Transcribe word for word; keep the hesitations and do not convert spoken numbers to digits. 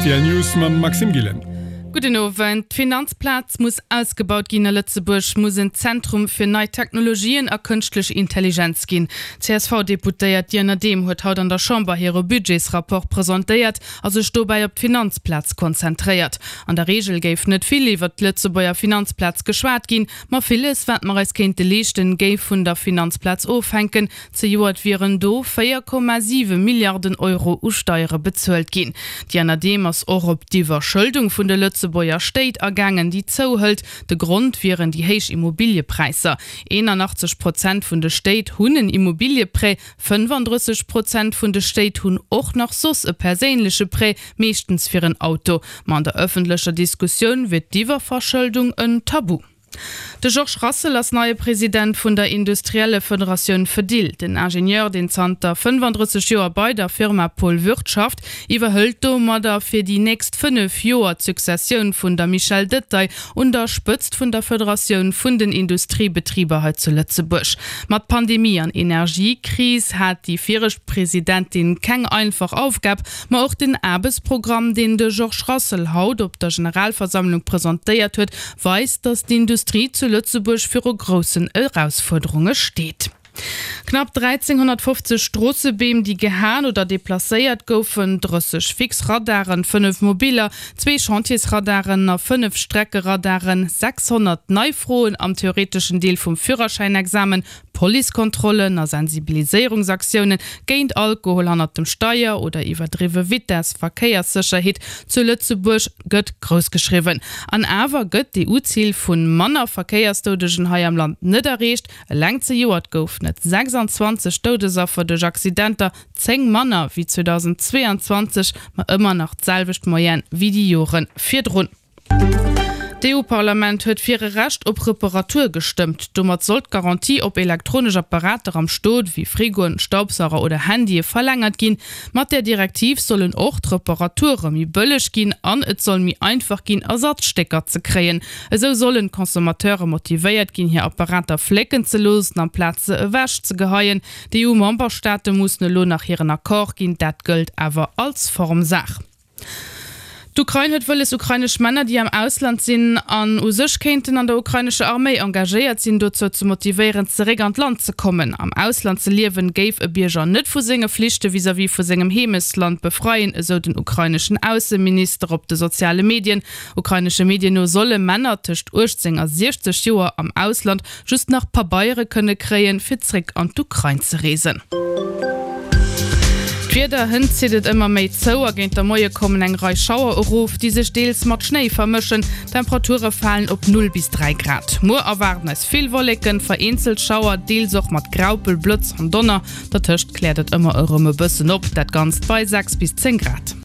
Rtl News mam Maxime Gillen. Gudden Owend. D'Finanzplaz muss ausgebaut ginn a Lëtzebuerg muss en Zentrum fir nei Technologien a kënschtlech Intelligenz ginn. D'CSV-Deputéiert Diane Adehm huet haut an der Chamber hire Budgetsrapport presentéiert a sech dobäi op d'Finanzplaz konzentréiert. An der Reegel géif net vill iwwert d'Lëtzebuerger Finanzplaz geschwat ginn, ma villes, wat mer eis kéinte leeschten, géif vun der Finanzplaz ofhänken. Zejoert wieren do véier Komma siwe Milliarden Euro u Steiere bezuelt ginn. D'Diane Adehm ass och op d'Iwwerschëldung vun de Lëtzebuerger Stéit agaangen, déi zouhëlt. De Grond wieren déi héich Immobiliëpräisser. eenanachtzeg Prozent vun de Stéit hunn en Immobilieprêt, fënnefandrësseg Prozent vun de Stéit hunn och nach soss e perséinleche Prêt, meeschtens fir en Auto. Ma an der ëffentlecher Diskussioun wier d'Iwwerverschëldung en Tabu. De Georges Rassel ass neie President vun der Industriellefederatioun Fedil. Den Ingenieur, deen zanter fënnefandrësseg Joer bei der Firma Paul Würth schafft, iwwerhëlt domadder fir déi nächst fënnef Joer d'Successioun vun der Michèle Detaille un der Spëtzt vun der Federatioun vun den Industriebetriber hei zu Lëtzebuerg. Mat Pandemie an Energiekris hat déi viregt Presidentin keng einfach Aufgab, ma och den Aarbechtsprogramm, deen de Georges Rassel haut op der Generalversammlung presentéiert huet, weist, datt d'Industrie zu Lëtzebuerg viru groussen Erausfuerderunge steet. Knapp dräizénghonnertfofzeg Stroossebeem, déi gehaen oder deplacéiert goufen, drësseg fix Radaren, fënnef mobiller, zwee Chantiersradaren a fënnef Streckeradaren, sechshonnert nei Froen am theoreteschen Deel vum Führerschäinexamen, Policekontrollen a Sensibiliséierungsaktioune géint Alkohol hannert dem Steier oder iwwerdriwwe Vitess, Verkéierssécherheet zu Lëtzebuerg gëtt grouss geschriwwen. An awer gëtt d'EU-Zil vu manner Verkéiersdoudegen hei am Land net erreecht. Eleng zejoert goufen et sechsanzwanzeg Doudesaffer duerch Accidenter, zéng manner wéi zweedausendzweeanzwanzeg, ma ëmmer nach d'selwecht Moyenne wéi déi Jore virdrun. D'EU-Parlament huet fir e Recht op Reparatur gestëmmt. Domat soll d'Garantie op elektronesch Apparater am Stot, wéi Frigoen, Staubsauger oder Handye verlängert ginn. Mat där Direktiv sollen och d'Reparature méi bëlleg ginn an et soll méi einfach ginn, Ersatzstécker ze kréien. Esou sollen d'Consommateure motivéiert ginn, hir Apparater flécken ze loossen, amplaz se ewech ze geheien. D'EU-Memberstaate mussen elo nach hiren Accord ginn, dat gëllt awer als Formsaach. D'Ukrain huet wëlles, ukrainesch Männer, déi am Ausland sinn an u sech kéinten an der ukrainescher Arméi engagéiert sinn, dozou ze motivéieren, zeréck an d'Land ze kommen. Am Ausland ze liewen, géif e Bierger net vu senge Flichte vis-à-vis vu sengem Heemechtsland befreien, esou den ukraineschen Ausseminister op de soziale Medien. Ukrainesche Medien no solle Männer tëscht uechtzéng a siechzeg Joer am Ausland just nach Pabeiere kënne kréien, fir zréck an d'Ukrain ze reesen. D'Wieder, Hënt zitt et ëmmer méi zou a géint de Moie kommen eng Rei Schauer erof, déi sech deels mat Schnéi vermëschen. D'Temperature falen op null bis dräi Grad. Muer erwaarden eis vill Wolleken, vereenzelt Schauer, deels och mat Graupel, Blëtz an Donner. Dertëscht kläert et ëmmer erëm e bëssen op, dat Ganzt bei sechs bis zéng Grad.